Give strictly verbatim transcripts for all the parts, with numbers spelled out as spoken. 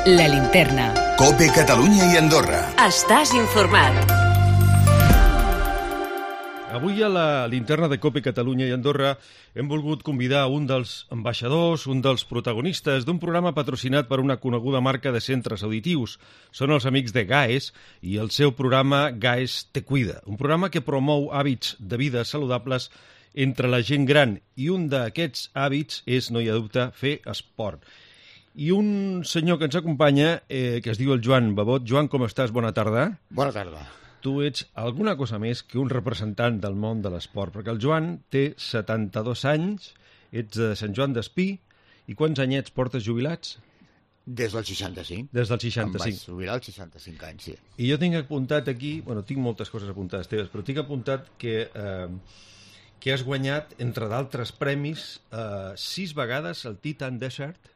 La Linterna. COPE Catalunya i Andorra. Estàs informat. Avui a la Linterna de COPE Catalunya i Andorra hem volgut convidar un dels ambaixadors, un dels protagonistes d'un programa patrocinat per una coneguda marca de centres auditius. Són els amics de GAES i el seu programa GAES Te Cuida, un programa que promou hàbits de vida saludables entre la gent gran, i un d'aquests hàbits és, no hi ha dubte, fer esport. I un senyor que ens acompanya, eh, que es diu el Joan Babot. Joan, com estàs? Bona tarda. Bona tarda. Tu ets alguna cosa més que un representant del món de l'esport, perquè el Joan té setanta-dos anys, ets de Sant Joan d'Espí, i quants anyets portes jubilats? Des del seixanta-cinc. Des del seixanta-cinc. Em vaig jubilar als seixanta-cinc anys, sí. I jo tinc apuntat aquí, bueno, tinc moltes coses apuntades teves, però tinc apuntat que, eh, que has guanyat, entre d'altres premis, eh, sis vegades el Titan Desert.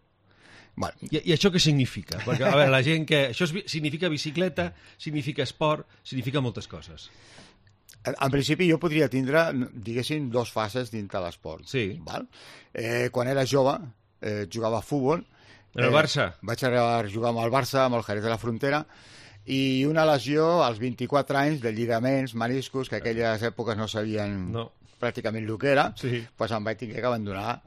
Bueno. I, I això què significa? Perquè, a veure, la gent que... Això es, significa bicicleta, significa esport, significa moltes coses. En, en principi jo podria tindre, diguéssim, dos fases dintre l'esport. Sí. Val? Eh, quan era jove, eh, jugava a futbol. En el Barça? Eh, vaig arribar a jugar amb el Barça, amb el Jerez de la Frontera, i una lesió als vint-i-quatre anys de lligaments, meniscos, que aquelles èpoques no sabien no. pràcticament el que era, sí. doncs em vaig tenir que abandonar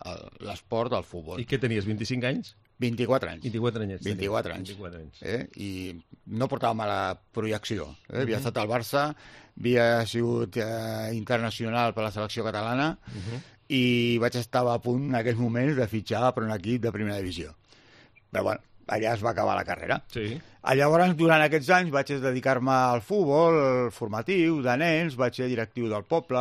l'esport del futbol. I què tenies, vint-i-cinc anys? vint-i-quatre anys. vint-i-quatre anyets. vint-i-quatre anys. vint-i-quatre anys. Eh? I no portava mala projecció. Eh? Havia uh -huh. estat al Barça, havia sigut eh, internacional per la selecció catalana uh -huh. i vaig estar a punt en aquells moments de fitxar per un equip de primera divisió. Però bueno, allà es va acabar la carrera. Sí. Llavors, durant aquests anys, vaig dedicar-me al futbol formatiu, de nens, vaig ser directiu del poble,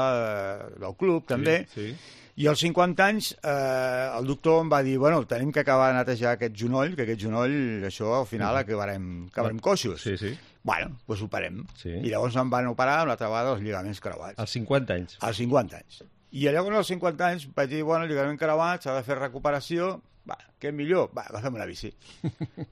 del club, també. Sí, sí. I als cinquanta anys eh, el doctor em va dir, bueno, tenim que acabar de netejar aquest genoll, que aquest genoll, això al final acabarem, acabarem coixos. Sí, sí. Bueno, doncs ho operem. Sí. I llavors em van operar una altra vegada els lligaments creuats. Als cinquanta anys? Als cinquanta anys. I llavors als cinquanta anys vaig dir, bueno, el lligament creuat, s'ha de fer recuperació, va, què millor? Va, agafem una bici.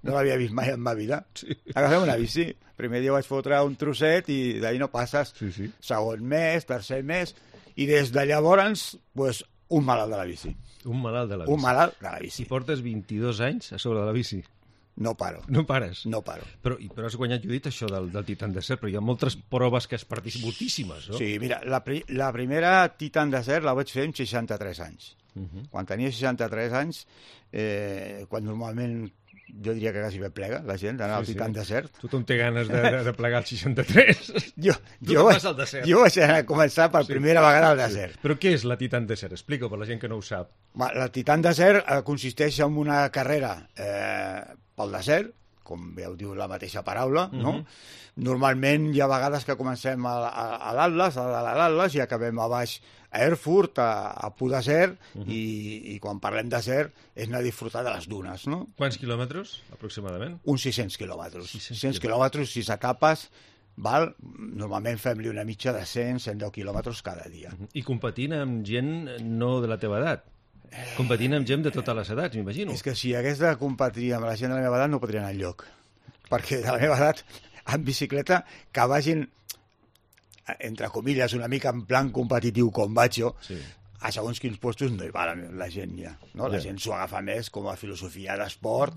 No l'havia vist mai en ma vida. Sí. Agafem una bici. El primer dia vaig fotre un trosset i d'ahir no passes. Sí, sí. Segon mes, tercer mes, i des de llavors, pues, un malalt de la bici. Un malalt de la bici. Un malalt de la bici. I portes vint-i-dos anys a sobre de la bici. No paro. No pares? No paro. Però, però has guanyat, jo he dit això del, del Titan Desert, però hi ha moltes proves que has participat, moltíssimes, no? Sí, mira, la, la primera Titan Desert la vaig fer amb seixanta-tres anys. Uh -huh. Quan tenia seixanta-tres anys, eh, quan normalment jo diria que quasi bé plega la gent d'anar sí, al Titan sí. Desert. Tothom té ganes de, de, de plegar el seixanta-tres. Jo, jo, vaig, jo vaig anar a començar per sí. primera vegada al desert. Sí. Però què és la Titan Desert? Explica-ho per la gent que no ho sap. La Titan Desert eh, consisteix en una carrera eh, pel desert, com bé ho diu la mateixa paraula, no? Uh -huh. Normalment hi ha vegades que comencem a, a, a l'Atlas, a l'Atlas, i acabem a baix a Erfurt, a, a Pau Desert, uh -huh. i, i quan parlem desert és anar a disfrutar de les dunes, no? Quants quilòmetres, aproximadament? Uns sis-cents quilòmetres. sis-cents quilòmetres, sis etapes, val? Normalment fem-li una mitja de cent, cent deu quilòmetres cada dia. Uh -huh. I competint amb gent no de la teva edat? Competint amb gent de totes les edats, m'imagino. És que si hagués de competir amb la gent de la meva edat no podria anar enlloc. Perquè de la meva edat, en bicicleta, que vagin, entre comilles, una mica en plan competitiu com vaig jo, sí. a segons quins postos no hi va la, la gent ja. No? La ja. gent s'ho agafa més com a filosofia d'esport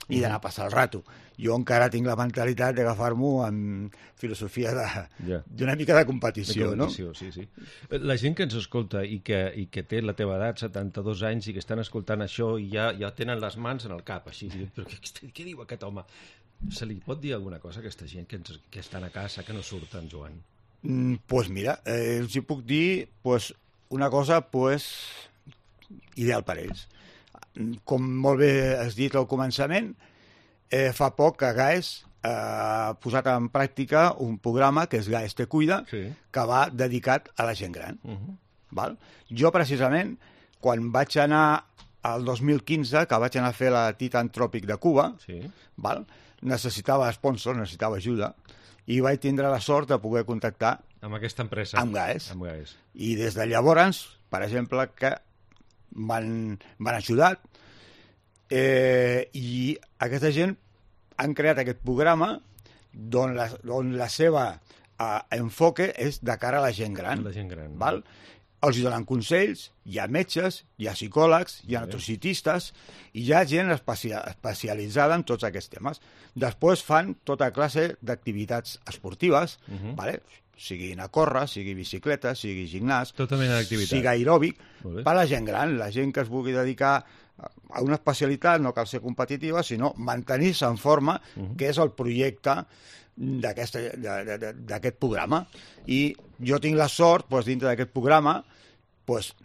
i d'anar a passar el rato. Jo encara tinc la mentalitat d'agafar-m'ho amb filosofia d'una ja. mica de competició, de competició, no? Sí, sí. La gent que ens escolta i que, i que té la teva edat, setanta-dos anys, i que estan escoltant això i ja, ja tenen les mans en el cap, així. Però què, què diu aquest home? Se li pot dir alguna cosa a aquesta gent que, ens, que estan a casa, que no surten, Joan? Doncs pues mira, eh, els hi puc dir pues, una cosa pues, ideal per ells. Com molt bé has dit al començament, eh, fa poc que GAES ha posat en pràctica un programa que és GAES Te Cuida, sí. que va dedicat a la gent gran. Uh -huh. Val? Jo, precisament, quan vaig anar al dos mil quinze, que vaig anar a fer la Titan Tròpic de Cuba, sí. val? necessitava sponsors, necessitava ajuda, i vaig tindre la sort de poder contactar amb aquesta empresa. Amb GAES. Amb GAES. I des de llavors, per exemple, que m'han ajudat, eh, i aquesta gent han creat aquest programa on la, on la seva eh, enfoque és de cara a la gent gran. La gent gran. Val? els donen consells, hi ha metges, hi ha psicòlegs, hi ha nutricionistes, i hi ha gent especia especialitzada en tots aquests temes. Després fan tota classe d'activitats esportives, uh -huh. vale? Sigui anar a córrer, sigui bicicleta, sigui gimnàs, tota mena d'activitat, sigui aeròbic, per a la gent gran, la gent que es vulgui dedicar a una especialitat, no cal ser competitiva, sinó mantenir-se en forma, uh -huh. que és el projecte d'aquest programa. I jo tinc la sort, doncs, dintre d'aquest programa, doncs,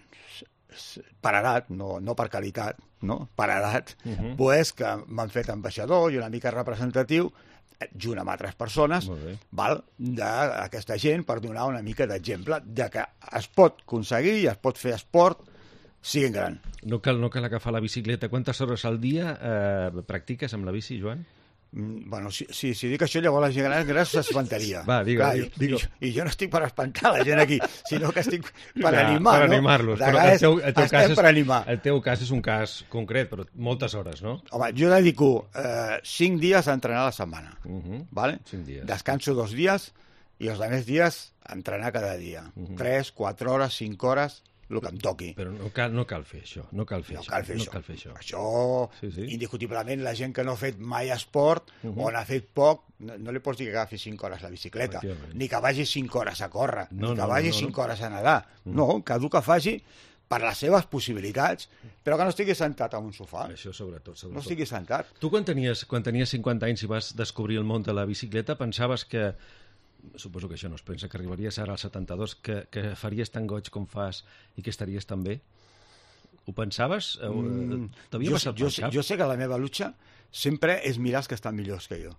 per edat, no, no per qualitat, no? per edat, uh -huh. doncs, que m'han fet ambaixador i una mica representatiu, junt amb altres persones, val, d'aquesta gent, per donar una mica d'exemple de que es pot aconseguir i es pot fer esport siguin gran. No cal, no cal agafar la bicicleta. Quantes hores al dia eh, practiques amb la bici, Joan? Mm, bueno, si, si, si dic això, llavors la gent gran, gran s'espantaria. Va, digue, Clar, digue, digue. I, I jo no estic per espantar la gent aquí, sinó que estic per ja, animar, per no? animar-los. Però el teu, el teu cas és, per animar. El teu cas és un cas concret, però moltes hores, no? Home, jo dedico eh, cinc dies a entrenar a la setmana, uh -huh. ¿vale? Cinc dies. Descanso dos dies i els altres dies a entrenar cada dia. Uh -huh. Tres, quatre hores, cinc hores, el que em toqui. Però no cal, no cal fer això, no cal fer no això. Cal fer no això. Cal fer això. Això, sí, sí. indiscutiblement, la gent que no ha fet mai esport uh -huh. o n'ha fet poc, no, no li pots dir que agafi cinc hores la bicicleta, ni que vagi cinc hores a córrer, no, ni que no, vagi no, no, cinc no. hores a nedar. Uh -huh. No, que el que faci per les seves possibilitats, però que no estigui sentat en un sofà. Això sobretot, sobretot. No estigui sentat. Tu quan tenies, quan tenies cinquanta anys i vas descobrir el món de la bicicleta, pensaves que, suposo que això no es pensa, que arribaries ara als setanta-dos, que, que faries tan goig com fas i que estaries tan bé? Ho pensaves? Mm, T'havia passat jo, pel cap? Jo sé que la meva lucha sempre és mirar els que estan millors que jo.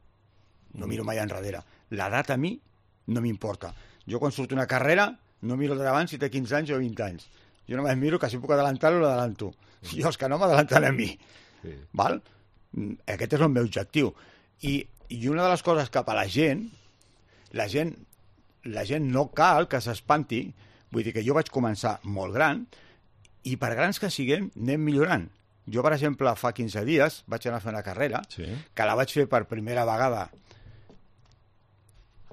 No miro mai enrere. L'edat a mi no m'importa. Jo quan surto una carrera no miro davant si té quinze anys o vint anys. Jo només miro que si puc adelantar-lo, l'adelanto. I els que no m'adelanten a mi. Sí. Val? Aquest és el meu objectiu. I, I una de les coses cap a la gent, la gent, la gent no cal que s'espanti, vull dir que jo vaig començar molt gran, i per grans que siguem, anem millorant. Jo, per exemple, fa quinze dies vaig anar a fer una carrera, sí. que la vaig fer per primera vegada,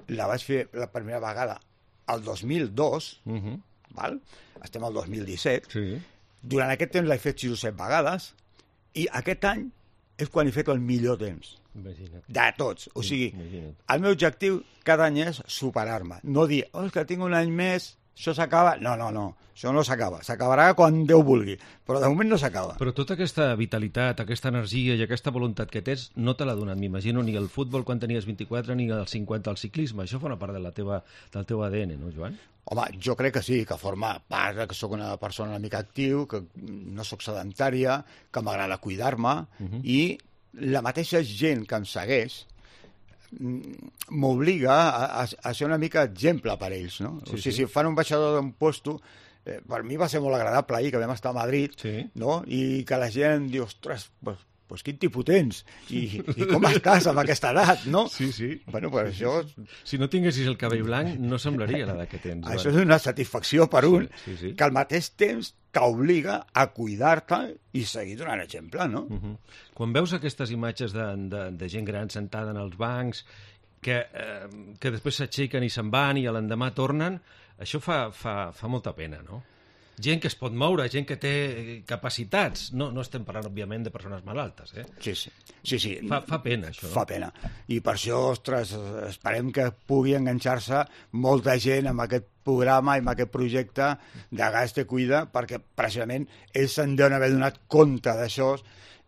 la vaig fer la primera vegada el dos mil dos, uh -huh. val? Estem al dos mil disset, sí. Durant aquest temps l'he fet sis o set vegades, i aquest any és quan he fet el millor temps. Imagina't. De tots. O sigui, Imagina't. El meu objectiu cada any és superar-me. No dir, oh, és que tinc un any més, això s'acaba. No, no, no. Això no s'acaba. S'acabarà quan Déu vulgui. Però de moment no s'acaba. Però tota aquesta vitalitat, aquesta energia i aquesta voluntat que tens no te l'ha donat, m'imagino, ni el futbol quan tenies vint-i-quatre ni el cinquanta al ciclisme. Això fa una part de la teva, del teu A D N, no, Joan? Home, jo crec que sí, que forma part, que sóc una persona una mica actiu, que no sóc sedentària, que m'agrada cuidar-me, uh -huh. i la mateixa gent que em segueix m'obliga a, a, a ser una mica exemple per ells, no? Sí, o sigui, sí. Si fan un baixador d'un puesto, eh, per mi va ser molt agradable ahir, que vam estar a Madrid, sí. no? I que la gent em diu, ostres, pues, pues quin tipus tens? I, i com estàs amb aquesta edat, no? Sí, sí. Bueno, pues això... Si no tinguessis el cabell blanc, no semblaria l'edat que tens. Això és una satisfacció per un, sí, sí, sí. que al mateix temps t'obliga a cuidar-te i seguir donant exemple, no? Uh -huh. Quan veus aquestes imatges de, de, de gent gran sentada en els bancs, que, eh, que després s'aixequen i se'n van i l'endemà tornen, això fa, fa, fa molta pena, no? Gent que es pot moure, gent que té capacitats. No, no estem parlant, òbviament, de persones malaltes, eh? Sí, sí. sí, sí. Fa, fa pena, això. Fa pena. I per això, ostres, esperem que pugui enganxar-se molta gent amb aquest programa i amb aquest projecte de Gas Te Cuida, perquè, precisament, ells se'n deuen haver donat compte d'això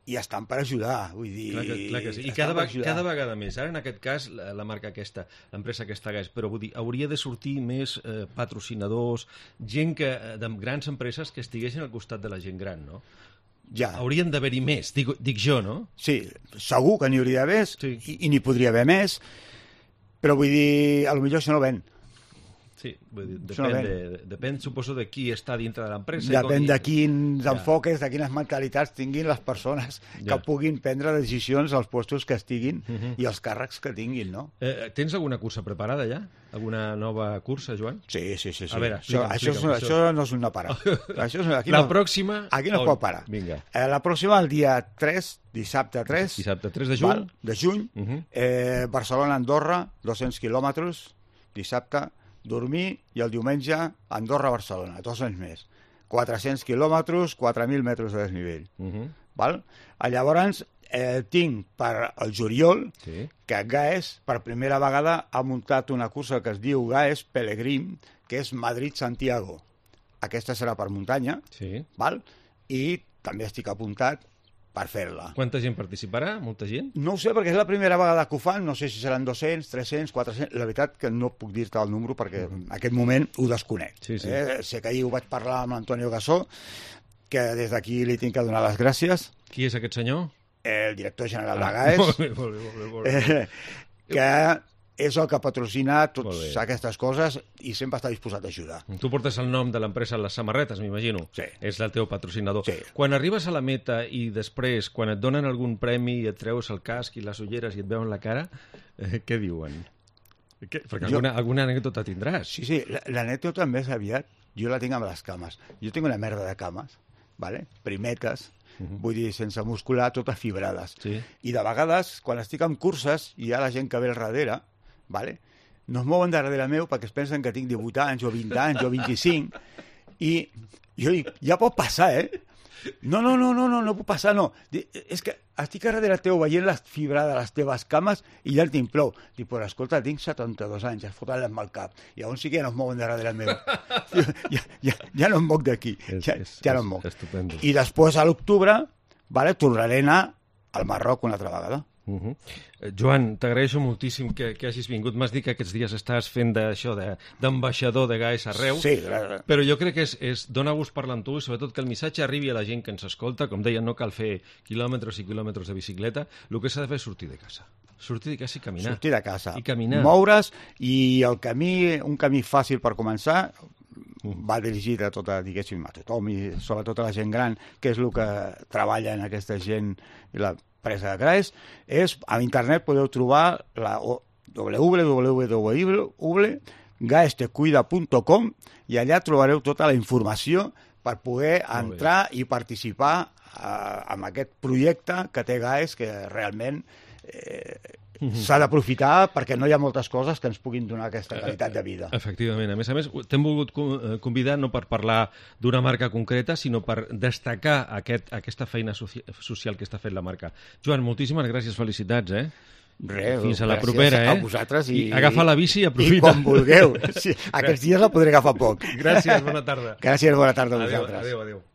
i estan per ajudar, vull dir... Clar que, clar que sí. I cada, cada vegada més. Ara, en aquest cas, la, la marca aquesta, l'empresa aquesta Gas, però vull dir, hauria de sortir més eh, patrocinadors, gent que, de grans empreses que estiguessin al costat de la gent gran, no? Ja. Haurien d'haver-hi més, dic, dic jo, no? Sí, segur que n'hi hauria d'haver, sí. i, i n'hi podria haver més, però vull dir, potser això no ven. Sí, vull dir, depèn, no de, depèn, suposo, de qui està dintre de l'empresa. Depèn de quins ja. enfoques, de quines mentalitats tinguin les persones ja. que puguin prendre decisions als puestos que estiguin uh -huh. i els càrrecs que tinguin, no? Eh, tens alguna cursa preparada ja? Alguna nova cursa, Joan? Sí, sí, sí. sí. A veure, això, això, és, això, això no és una parada. Això és, aquí la no, pròxima... Aquí no es pot parar. Vinga. Eh, la pròxima, el dia tres, dissabte tres... Dissabte tres de juny. Val, de juny. Uh -huh. eh, Barcelona-Andorra, dos-cents quilòmetres, dissabte... dormir i el diumenge Andorra-Barcelona, dos anys més. quatre-cents quilòmetres, quatre mil metres de desnivell. Uh -huh. Val? Llavors, eh, tinc per el juliol sí. que Gaes, per primera vegada, ha muntat una cursa que es diu Gaes Pelegrim, que és Madrid-Santiago. Aquesta serà per muntanya, sí. val? I també estic apuntat per fer-la. Quanta gent participarà? Molta gent? No ho sé, perquè és la primera vegada que ho fan, no sé si seran dos-cents, tres-cents, quatre-cents... La veritat que no puc dir-te el número perquè en aquest moment ho desconec. Sí, sí. Eh? Sé que ahir ho vaig parlar amb l'Antonio Gassó, que des d'aquí li tinc que donar les gràcies. Qui és aquest senyor? El director general de Gaes, ah, molt bé, molt bé, molt bé, molt bé. Eh, que és el que patrocina totes aquestes coses i sempre està disposat a ajudar. Tu portes el nom de l'empresa a les samarretes, m'imagino. Sí. És el teu patrocinador. Sí. Quan arribes a la meta i després, quan et donen algun premi i et treus el casc i les ulleres i et veuen la cara, eh, què diuen? Què? Perquè jo... alguna, alguna anècdota tindràs. Sí, sí, l'anècdota més aviat jo la tinc amb les cames. Jo tinc una merda de cames, vale? Primetes, Uh -huh. vull dir, sense muscular, totes fibrades. Sí. I de vegades, quan estic en curses i hi ha la gent que ve al darrere, vale? no es mouen darrere meu perquè es pensen que tinc divuit anys o vint anys o vint-i-cinc, i jo dic, ja pot passar, eh? No, no, no, no, no, no pot passar, no. És que estic a darrere teu veient la fibra de les teves cames i ja el tinc prou. Dic, però escolta, tinc setanta-dos anys, es foten amb el cap. I llavors sí que ja no es mouen darrere meu. ja, ja, ja no em moc d'aquí. Ja, ja no em moc. I després, a l'octubre, vale, tornaré a anar al Marroc una altra vegada. Uh -huh. eh, Joan, t'agraeixo moltíssim que, que hagis vingut. M'has dit que aquests dies estàs fent d'això, d'ambaixador de, de Gaes arreu, sí, però jo crec que és, és dona gust parlar amb tu i sobretot que el missatge arribi a la gent que ens escolta. Com deia, no cal fer quilòmetres i quilòmetres de bicicleta, el que s'ha de fer és sortir de casa. Sortir de casa i caminar. Sortir de casa, I caminar. moure's, i el camí, un camí fàcil per començar, va dirigit a tota, diguéssim, a tothom i sobretot a la gent gran, que és el que treballa en aquesta gent i la empresa de Gaes, és, a internet podeu trobar la w w w punt gaestecuida punt com i allà trobareu tota la informació per poder entrar i participar eh, en aquest projecte que té Gaes, que realment eh, s'ha d'aprofitar perquè no hi ha moltes coses que ens puguin donar aquesta qualitat de vida. Efectivament. A més a més, t'hem volgut convidar no per parlar d'una marca concreta, sinó per destacar aquest, aquesta feina social que està fent la marca. Joan, moltíssimes gràcies, felicitats, eh? Res, fins a la propera, eh? A vosaltres i... I agafa la bici i aprofita. I quan vulgueu. Sí, aquests dies la podré agafar poc. Gràcies, bona tarda. Gràcies, bona tarda a vosaltres. Adéu, adéu, adéu.